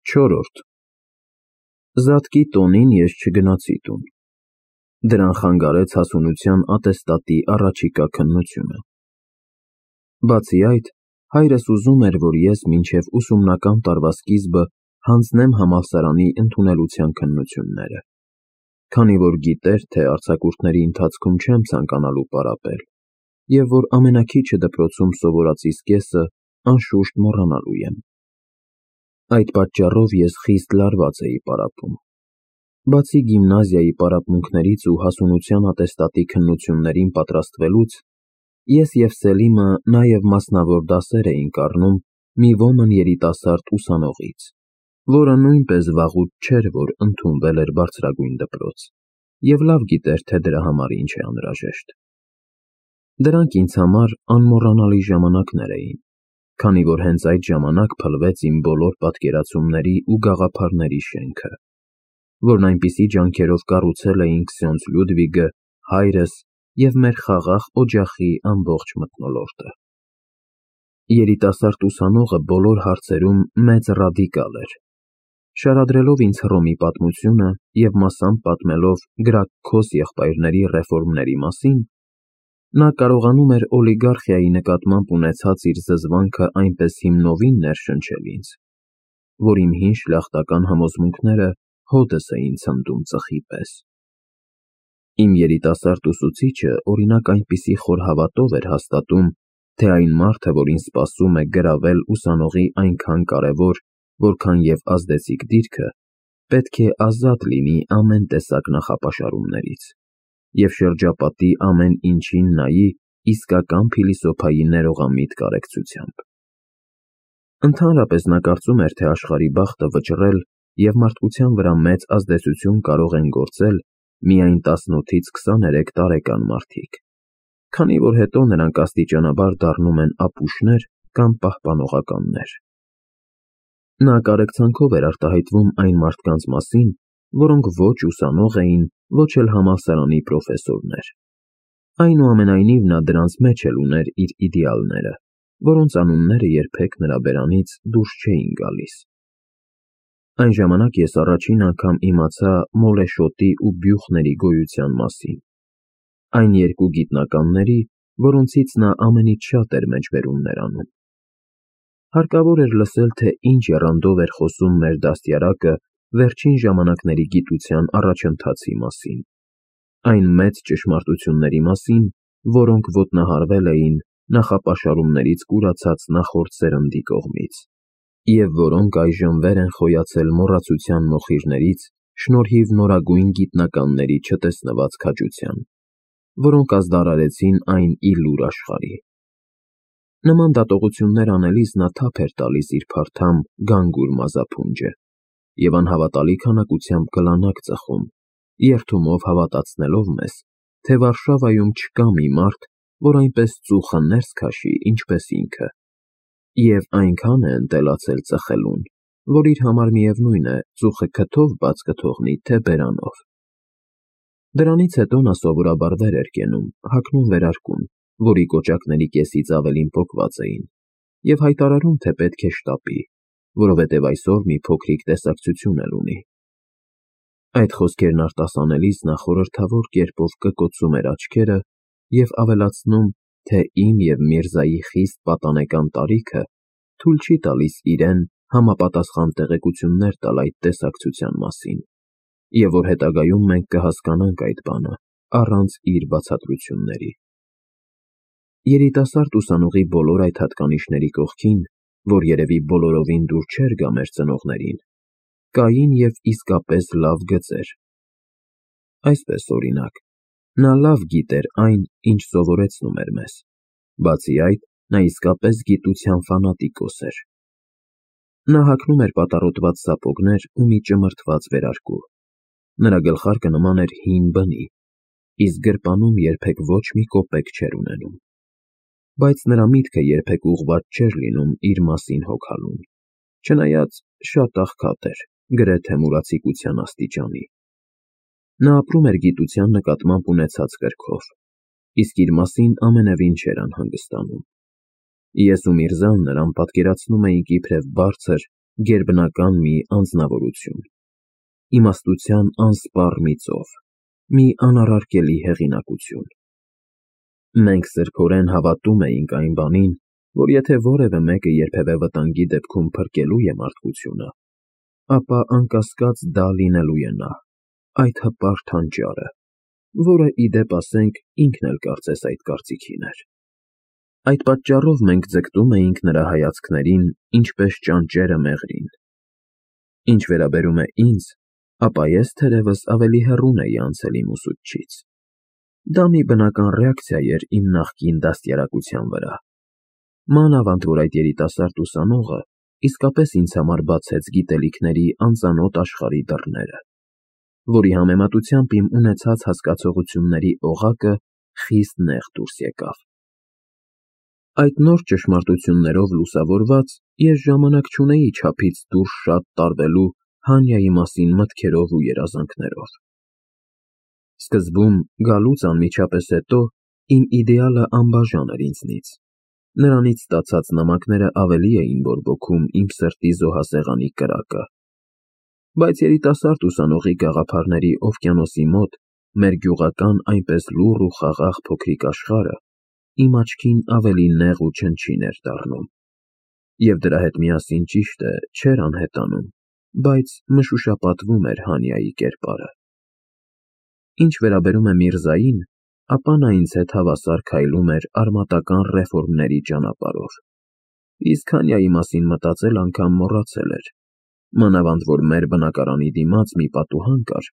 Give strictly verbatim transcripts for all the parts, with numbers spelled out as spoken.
Չորրորդ Զատկի տոնին ես չգնացի տուն, դրան խանգարեց հասունության ատեստատի առաջիկա քննությունը։ Բացի այդ, հայրս ուզում էր, որ ես մինչև ուսումնական տարվա սկիզբը հանձնեմ համալսարանի ընդունելության քննությունները, քանի որ գիտեր, թե արձակուրդների ընթացքում չեմ ցանկանալու պարապել, և որ ամենաքիչը դպրոցում սովորածիս կեսը անշուշտ մոռանալու եմ։ Այդ պատճառով ես խիստ լարված էի պարապում։ Բացի գիմնազիայի պարապմունքներից ու հասունության ատեստատի քննություններին պատրաստվելուց, ես և Սելիմը նաև մասնավոր դասեր էինք առնում մի ոմն երիտասարդ ուսանողից, որը նույնպես վաղուց չէր, որ ընդունվել էր բարձրագույն դպրոց, և լավ գիտեր, թե դրա համար ինչ է անհրաժեշտ։ Դրանք ինձ համար անմոռանալի ժամանակներ էին, քանի որ հենց այդ ժամանակ փլվեց իմ բոլոր պատկերացումների ու գաղափարների շենքը, որն այնպիսի ջանքերով կառուցել էինք Սյոնց Լյուդվիգը, հայրս և մեր խաղաղ օջախի ամբողջ մթնոլորտը։ Երիտասարդ ուսանողը բոլոր հարցերում մեծ ռադիկալ էր, շարադրելով ինձ Հռոմի պատմությունը և մասամբ պատմելով Գրաքքոս եղբայրների ռեֆորմների մասին, նա կարողանում էր օլիգարխիայի նկատմամբ ունեցած իր զզվանքը այնպես հիմնովին ներշնչել ինձ, որ իմ հին շլախտական համոզմունքները հօդս էին ցնդում ծխի պես։ Իմ երիտասարդ ուսուցիչը, օրինակ, այնպիսի խոր հավատով էր հաստատում, թե այն մարդը, որին սպասում է գրավել ուսանողի այնքան կարևոր, որքան և ազդեցիկ դիրքը, պետք է ազատ լինի ամեն տեսակ նախապաշարումներից և շրջապատի ամեն ինչին նայի իսկական փիլիսոփայի ներողամիտ կարեկցությամբ։ Ընդհանրապես նա կարծում էր, թե աշխարհի բախտը վճռել և մարդկության վրա մեծ ազդեցություն կարող են գործել միայն տասնութից քսաներեք տարեկան մարդիկ, քանի որ հետո նրանք աստիճանաբար դառնում են ապուշներ կամ պահպանողականներ։ Նա կարեկցանքով էր արտահայտվում այն մարդկանց մասին, որոնք ոչ ուսանող էին, ոչ էլ համալսարանի պրոֆեսորներ։ Այնուամենայնիվ, նա դրանց մեջ էլ ուներ իր իդեալները, որոնց անունները երբեք նրա բերանից դուրս չէին գալիս։ Այն ժամանակ ես առաջին անգամ իմացա Մոլեշոտի ու Բյուխների գոյության մասին, այն երկու գիտնականների, որոնցից նա ամենից շատ էր մեջբերումներ անում։ Հարկավոր էր լսել, թե ինչ եռանդով էր խոսում մեր դաստիարակը վերջին ժամանակների գիտության առաջընթացի մասին, այն մեծ ճշմարտությունների մասին, որոնք ոտնահարվել էին նախապաշարումներից կուրացած նախորդ սերնդի կողմից, և որոնք այժմ վեր են խոյացել մոռացության մոխիրներից շնորհիվ նորագույն գիտնականների չտեսնված քաջության, որոնք ազդարարեցին այն ի լուր աշխարհի։ Նման դատողություններ անելիս նա թափ էր տալիս իր փարթամ գանգուր մազափունջը և անհավատալի քանակությամբ գլանակ ծխում, երդումով հավատացնելով մեզ, թե Վարշավայում չկա մի մարդ, որ այնպես ծուխը ներս քաշի, ինչպես ինքը, և այնքան է ընտելացել ծխելուն, որ իր համար միևնույն է ծուխը քթով բաց կթողնի, թե բերանով։ Դրանից հետո նա սովորաբար վեր էր կենում, հագնում վերարկուն, որի կոճակների կեսից ավելին պոկված էին, և հայտարարում, թե պետք է շտապի, որովհետև այսօր մի փոքրիկ տեսակցություն էլ ունի։ Այդ խոսքերն արտասանելիս նա խորհրդավոր կերպով կկոցում էր աչքերը և ավելացնում, թե իմ և Միրզայի խիստ պատանեկան տարիքը թույլ չի տալիս իրեն համապատասխան տեղեկություններ տալ այդ տեսակցության մասին, և որ հետագայում մենք կհասկանանք այդ բանը առանց իր բացատրությունների։ Երիտասարդ ուսանողի բոլոր այդ հատկանիշների կողքին, որ երևի բոլորովին դուր չէր գա մեր ծնողներին, կային և իսկապես լավ գծեր։ Այսպես, օրինակ, նա լավ գիտեր այն, ինչ սովորեցնում էր մեզ, բացի այդ, նա իսկապես գիտության ֆանատիկոս էր։ Նա հագնում էր պատառոտված սապոգներ ու մի ճմրթված վերարկու, նրա գլխարկը նման էր հին բնի, իսկ գրպանում երբեք ոչ մի կոպեկ չէր ունենում, բայց նրա միտքը երբեք ուղղված չէր լինում իր մասին հոգալուն, չնայած շատ աղքատ էր, գրեթե մուրացիկության աստիճանի։ Նա ապրում էր գիտության նկատմամբ ունեցած կրքով, իսկ իր մասին ամենևին չէր անհանգստանում։ Ես ու Միրզան նրան պատկերացնում էինք իբրև բարձր, գերբնական մի անձնավորություն, իմաստության անսպառ մի ծով, մի անառարկելի հեղինակություն։ Մենք սրբորեն հավատում էինք այն բանին, որ եթե որևէ մեկը երբևէ վտանգի դեպքում փրկելու է մարդկությունը, ապա անկասկած դա լինելու է նա, այդ հպարտ հանճարը, որը, ի դեպ ասենք, ինքն էլ կարծես այդ կարծիքին էր։ Այդ պատճառով մենք ձգտում էինք նրա հայացքներին, ինչպես ճանճերը մեղրին։ Ինչ վերաբերում է ինձ, ապա ես թերևս ավելի հեռուն էի անցել իմ ուսուցչից։ Դա մի բնական ռեակցիա էր իմ նախկին դաստիարակության վրա։ Մանավանդ որ այդ երիտասարդ ուսանողը իսկապես ինձ համար բացեց գիտելիքների անծանոթ աշխարհի դռները, որի համեմատությամբ իմ ունեցած հասկացողությունների օղակը խիստ նեղ դուրս եկավ։ Այդ նոր ճշմարտություններով լուսավորված, ես ժամանակ չունեի չափից դուրս շատ տարվելու Հանյայի մասին մտքերով ու երազանքներով։ Սկզբում, գալուց անմիջապես հետո, իմ իդեալը անբաժան էր ինձնից։ Նրանից ստացած նամակները ավելի էին բորբոքում իմ սրտի զոհասեղանի կրակը։ Բայց երիտասարդ ուսանողի գաղափարների օվկիանոսի մոտ մեր գյուղական այնպես լուռ ու խաղաղ փոքրիկ աշխարհը իմ աչքին ավելի նեղ ու չնչին էր դառնում, և դրա հետ միասին, ճիշտ է, չէր անհետանում, բայց մշուշապատվում էր Հանյայի կերպարը։ Ինչ վերաբերում է Միրզային, ապա նա ինձ հետ հավասար քայլում էր արմատական ռեֆորմների ճանապարհով, իսկ Հանյայի մասին մտածել անգամ մոռացել էր, մանավանդ որ մեր բնակարանի դիմաց մի պատուհան կար,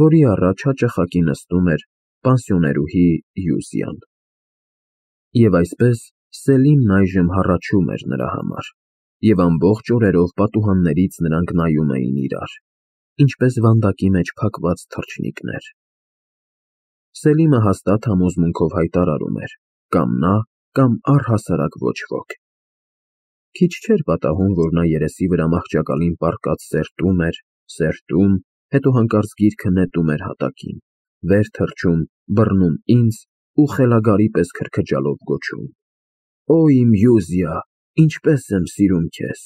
որի առաջ հաճախակի նստում էր պանսիոներուհի Յուզիան։ Եվ այսպես Սելիմն այժմ հառաչում էր նրա համար, և ամբողջ օրերով պատուհաններից նրանք նայում էին իրար, ինչպես վանդակի մեջ փակված թռչնիկներ։ Սելիմը հաստատ համոզմունքով հայտարարում էր. կամ նա, կամ առհասարակ ոչ ոք։ Քիչ չէր պատահում, որ նա երեսի վրա մահճակալին պառկած սերտում էր, սերտում, հետո հանկարծ գիրքը նետում էր հատակին, վեր թռչում, բռնում ինձ ու խելագարի պես քրքջալով գոչում. «Օ իմ Յուզիա, ինչպես եմ սիրում քեզ»։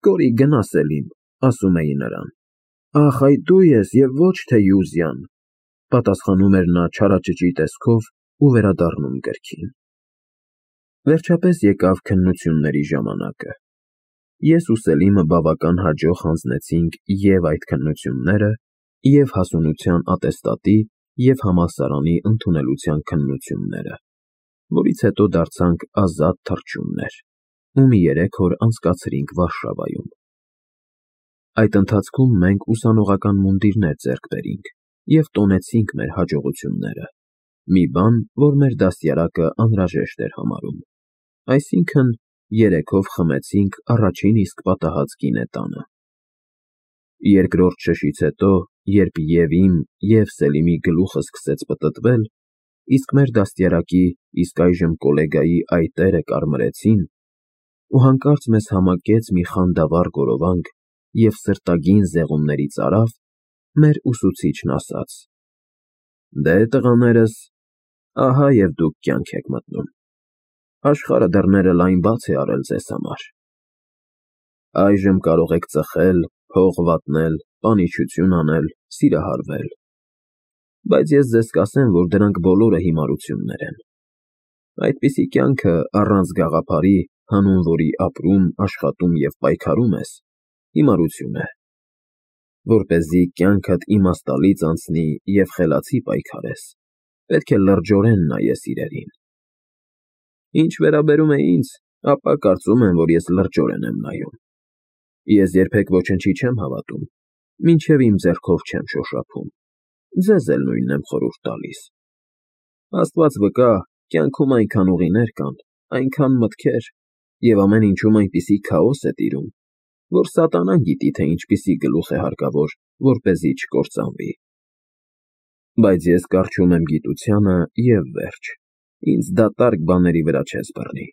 «Կորի գնա, Սելիմ», ասում էի նրան։ «Ախ, այ դու ես և ոչ թե Յուզիան», պատասխանում էր նա չարաճճի տեսքով ու վերադառնում գրքին։ Վերջապես եկավ քննությունների ժամանակը։ Ես ու Սելիմը բավական հաջող հանձնեցինք և՛ այդ քննությունները, և՛ հասունության ատեստատի և համալսարանի ընդունելության քննությունները, որից հետո դարձանք ազատ թռչուններ ու մի երեք օր անցկացրինք Վարշավայում։ Այդ ընթացքում մենք ուսանողական մունդիրներ ձեռք բերինք և տոնեցինք մեր հաջողությունները, մի բան, որ մեր դաստիարակը անհրաժեշտ էր համարում, այսինքն՝ երեքով խմեցինք առաջին իսկ պատահած գինետանը։ Երկրորդ շշից հետո, երբ և՛ իմ, և՛ Սելիմի գլուխը սկսեց պտտվել, իսկ մեր դաստիարակի, իսկ այժմ կոլեգայի այտերը կարմրեցին, ու հանկարծ մեզ համակեց մի խանդավառ գորովանք և սրտագին զեղումներից արավ, մեր ուսուցիչն ասաց. «Դե, տղաներս, ահա և դուք կյանք եք մտնում, աշխարհը դռները լայն բաց է արել ձեզ համար։ Այժմ կարող եք ծխել, փող վատնել, պանիչություն անել, սիրահարվել, բայց ես ձեզ կասեմ, որ դրանք բոլորը հիմարություններ են։ Այդպիսի կյանքը, առանց գաղափարի, հանուն որի ապրում, աշխատում և պայքարում ես, հիմարություն է։ Որպեսզի կյանքդ իմաստալից անցնի և խելացի պայքարես, պետք է լրջորեն նայես իրերին։ Ինչ վերաբերում է ինձ, ապա կարծում եմ, որ ես լրջորեն եմ նայում։ Ես երբեք ոչնչի չեմ հավատում, մինչև իմ ձեռքով չեմ շոշափում, ձեզ էլ նույնն եմ խորհուրդ տալիս։ Աստված վկա, կյանքում այնքան ուղիներ կան, այնքան մտքեր, և ամեն ինչում այնպիսի քաոս է տիրում, որ սատանան գիտի, թե ինչպիսի գլուխ է հարկավոր, որպեսզի չկործանվի։ Բայց ես կառչում եմ գիտությանը և վերջ, ինձ դատարկ բաների վրա չես բռնի։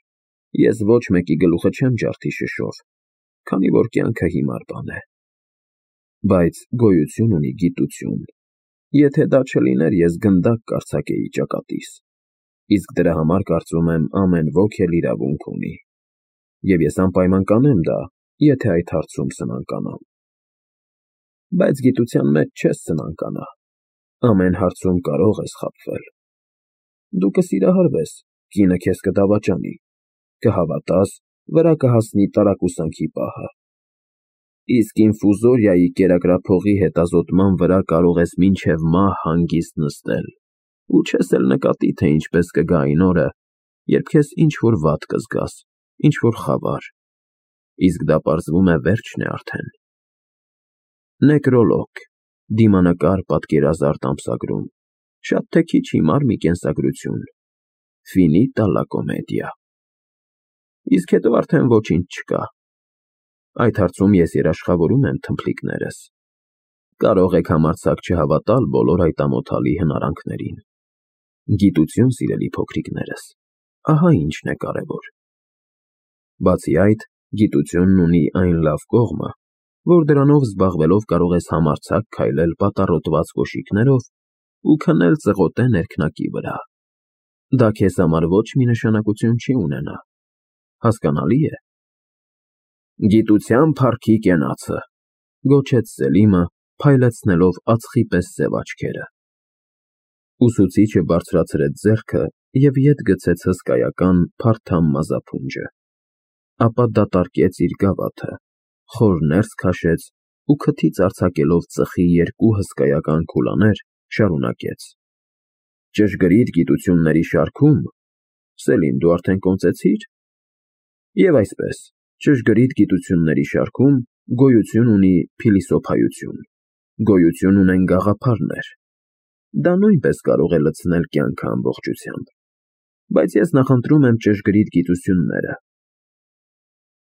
Ես ոչ մեկի գլուխը չեմ ջարդի շշով, քանի որ կյանքը հիմար բան է։ Բայց գոյություն ունի գիտություն, եթե դա չլիներ, ես գնդակ կարձակեի ճակատիս, իսկ դրա համար կարծում եմ ամեն ոք էլ իրավունք ունի։ Եվ ես անպայման կանեմ դա, եթե այդ հարցում սնանկանամ։ Բայց գիտության մեջ չես սնանկանա, ամեն հարցում կարող ես խաբվել։ Դու կսիրահարվես, կինը քեզ կդավաճանի, կհավատաս, վրա կհասնի տարակուսանքի պահը։ Իսկ ինֆուզորիայի կերակրափողի հետազոտման վրա կարող ես մինչև մահ հանգիստ նստել ու չես էլ նկատի, թե ինչպես կգա այն օրը, երբ քեզ ինչ-որ վատ կզգաս, ինչ-որ խավար, իսկ դա պարզվում է վերջն է արդեն։ Նեկրոլոգ, դիմանկար պատկերազարդ ամսագրում, շատ թե քիչ հիմար մի կենսագրություն, ֆինիտա լա կոմեդիա։ Իսկ հետո արդեն ոչինչ չկա։ Այդ հարցում ես երաշխավորում եմ թմփլիկներս։ Կարող եք համարձակ չհավատալ բոլոր այդ ամոթալի հնարանքներին։ Գիտություն, սիրելի փոքրիկներս, ահա ինչն է կարևոր։ Բացի այդ, գիտությունն ունի այն լավ կողմը, որ դրանով զբաղվելով կարող ես համարձակ քայլել պատառոտված կոշիկներով ու քնել ծղոտե ներքնակի վրա։ Դա քեզ համար ոչ մի նշանակություն չի ունենա։ Հասկանալի է։ Գիտության փառքի կենացը, գոչեց Սելիմը, փայլեցնելով ածխի պես սև աչքերը։ Ուսուցիչը բարձրացրեց ձեռքը և ետ գցեց հսկայական փարթամ մազափունջը, ապա դատարկեց իր գավաթը, խոր ներս քաշեց ու քթից արձակելով ծխի երկու հսկայական քուլաներ, շարունակեց. Ճշգրիտ գիտությունների շարքում, Սելիմ, դու արդեն կոնծեցի՞ր։ Եվ այսպես, ճշգրիտ գիտությունների շարքում գոյություն ունի փիլիսոփայություն, գոյություն ունեն գաղափարներ։ Դա նույնպես կարող է լցնել կյանքը ամբողջությամբ, բայց ես նախընտրում եմ ճշգրիտ գիտությունները։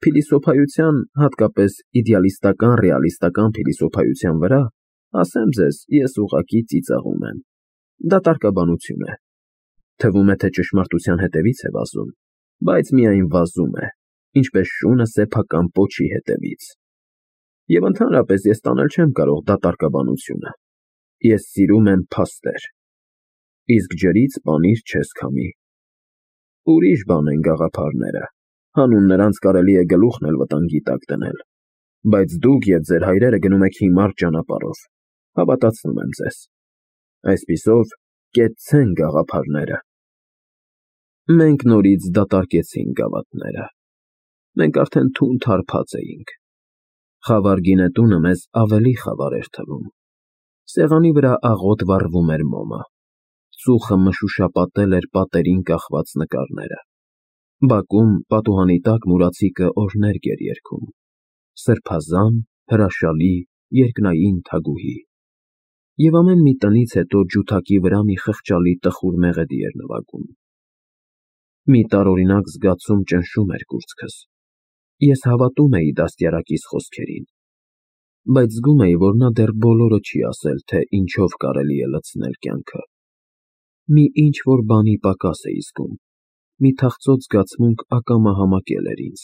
Փիլիսոփայության, հատկապես իդեալիստական ռեալիստական փիլիսոփայության վրա, ասեմ ձեզ, ես ուղղակի ծիծաղում եմ։ Դա տարկաբանություն է։ Թվում է, թե ճշմարտության հետևից է վազում, բայց միայն վազում է, ինչպես շունը սեփական պոչի հետևից։ Եվ ընդհանրապես ես տանել չեմ կարող դատարկաբանությունը։ Ես սիրում եմ փաստեր։ Իսկ ջրից պանիր չես քամի։ Ուրիշ բան են գաղափարները, հանուն նրանց կարելի է գլուխն էլ վտանգի տակ դնել, բայց դուք և ձեր հայրերը գնում եք հիմար ճանապարհով, հավատացնում եմ ձեզ։ Այսպիսով, կեցցեն գաղափարները։ Մենք նորից դատարկեցինք գավաթները։ Մենք արդեն թունդ հարբած էինք։ Խավար գինետունը մեզ ավելի խավար էր թվում։ Սեղանի վրա աղոտ վառվում էր մոմը։ Ծուխը մշուշապատել էր պատերին կախված նկարները։ Բակում պատուհանի տակ մուրացիկը օրհներգ էր երգում։ Սրբազան, հրաշալի, երկնային թագուհի։ Եվ ամեն մի տնից հետո ջութակի վրա մի խղճալի տխուր մեղեդի էր նվագում։ Մի տարօրինակ զգացում ճնշում էր կուրծքս։ Ես հավատում էի դաստիարակիս խոսքերին, բայց զգում էի, որ նա դեռ բոլորը չի ասել, թե ինչով կարելի է լցնել կյանքը։ Մի ինչ-որ բանի պակաս էի զգում, մի թախծոտ զգացմունք ակամա համակել էր ինձ։